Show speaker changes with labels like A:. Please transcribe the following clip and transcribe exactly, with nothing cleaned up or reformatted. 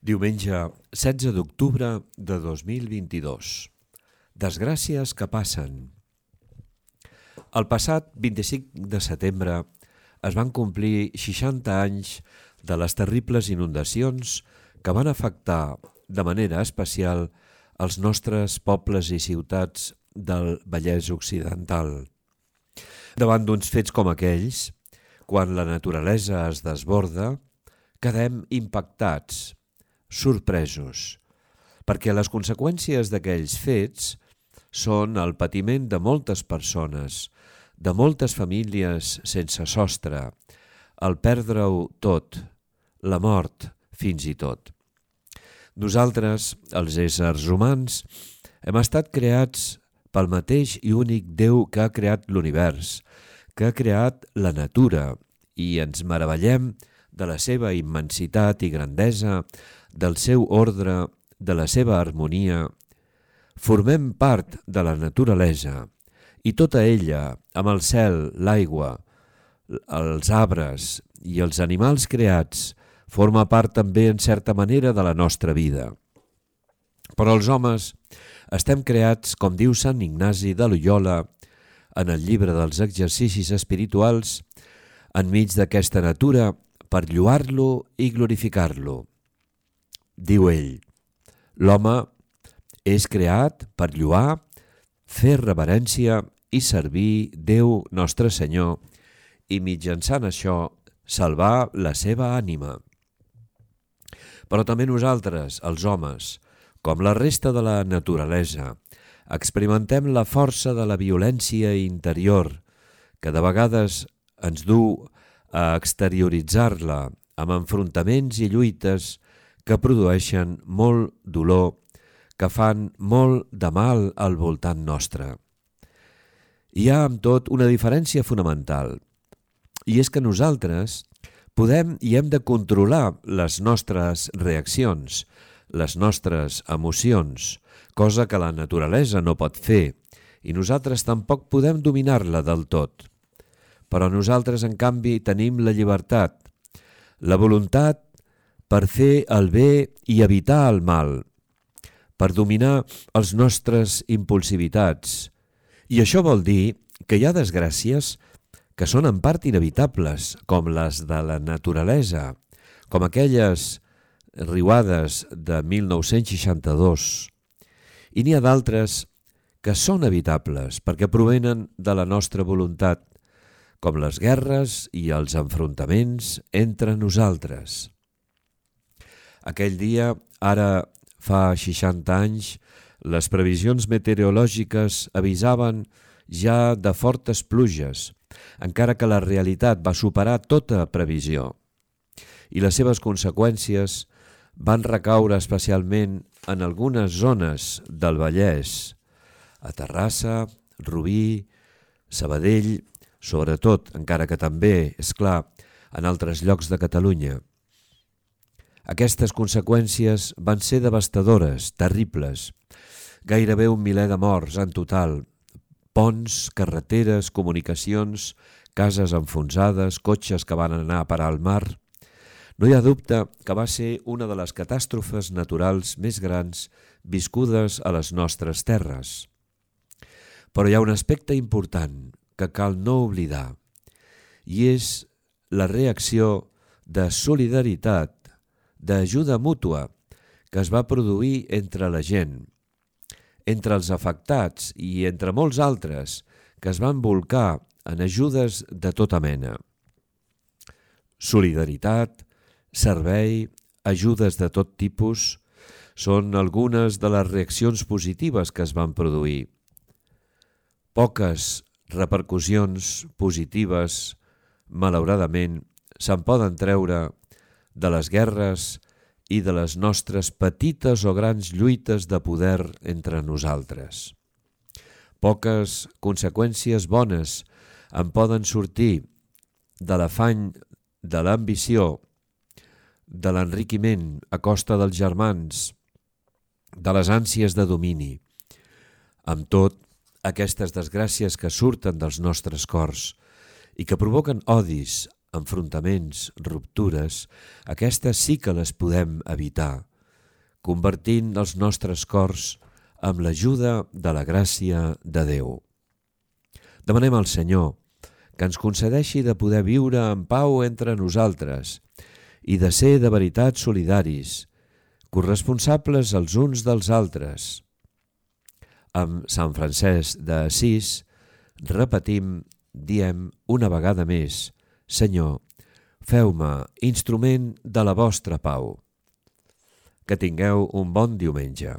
A: Diumenge setze d'octubre de dos mil vint-i-dos. Desgràcies que passen. El passat vint-i-cinc de setembre es van complir seixanta anys de les terribles inundacions que van afectar de manera especial els nostres pobles i ciutats del Vallès Occidental. Davant d'uns fets com aquells, quan la naturalesa es desborda, quedem impactats, sorpresos, perquè les conseqüències d'aquells fets són el patiment de moltes persones, de moltes famílies sense sostre, el perdre-ho tot, la mort fins i tot. Nosaltres, els éssers humans, hem estat creats pel mateix i únic Déu que ha creat l'univers, que ha creat la natura, i ens meravellem de la seva immensitat i grandesa, del seu ordre, de la seva harmonia. Formem part de la naturalesa i tota ella, amb el cel, l'aigua, els arbres i els animals creats, forma part també en certa manera de la nostra vida. Però els homes estem creats, com diu Sant Ignasi de Loyola en el llibre dels exercicis espirituals, enmig d'aquesta natura per lloar-lo i glorificar-lo. Diu ell, l'home és creat per lloar, fer reverència i servir Déu nostre Senyor i mitjançant això salvar la seva ànima. Però també nosaltres, els homes, com la resta de la naturalesa, experimentem la força de la violència interior que de vegades ens du a exterioritzar-la amb enfrontaments i lluites que produeixen molt dolor, que fan molt de mal al voltant nostre. Hi ha amb tot una diferència fonamental, i és que nosaltres podem i hem de controlar les nostres reaccions, les nostres emocions, cosa que la naturalesa no pot fer, i nosaltres tampoc podem dominar-la del tot. Però nosaltres, en canvi, tenim la llibertat, la voluntat per fer el bé i evitar el mal, per dominar els nostres impulsivitats. I això vol dir que hi ha desgràcies que són en part inevitables, com les de la naturalesa, com aquelles riuades de mil nou-cents seixanta-dos. I n'hi ha d'altres que són evitables perquè provenen de la nostra voluntat, com les guerres i els enfrontaments entre nosaltres. Aquell dia, ara fa seixanta anys, les previsions meteorològiques avisaven ja de fortes pluges, encara que la realitat va superar tota previsió, i les seves conseqüències van recaure especialment en algunes zones del Vallès, a Terrassa, Rubí, Sabadell, sobretot, encara que també, és clar, en altres llocs de Catalunya. Aquestes conseqüències van ser devastadores, terribles, gairebé un miler de morts en total, ponts, carreteres, comunicacions, cases enfonsades, cotxes que van anar a parar al mar. No hi ha dubte que va ser una de les catàstrofes naturals més grans viscudes a les nostres terres. Però hi ha un aspecte important que cal no oblidar, i és la reacció de solidaritat, d'ajuda mútua que es va produir entre la gent, entre els afectats i entre molts altres que es van bolcar en ajudes de tota mena. Solidaritat, servei, ajudes de tot tipus són algunes de les reaccions positives que es van produir. Poques repercussions positives, malauradament, se'n poden treure de les guerres i de les nostres petites o grans lluites de poder entre nosaltres. Poques conseqüències bones en poden sortir de l'afany, de l'ambició, de l'enriquiment a costa dels germans, de les ànsies de domini. Amb tot, aquestes desgràcies que surten dels nostres cors i que provoquen odis, enfrontaments, ruptures, aquestes sí que les podem evitar, convertint els nostres cors amb l'ajuda de la gràcia de Déu. Demanem al Senyor que ens concedeixi de poder viure en pau entre nosaltres i de ser de veritat solidaris, corresponsables els uns dels altres. Amb Sant Francesc d'Assís repetim, diem una vegada més: Senyor, feu-me instrument de la vostra pau. Que tingueu un bon diumenge.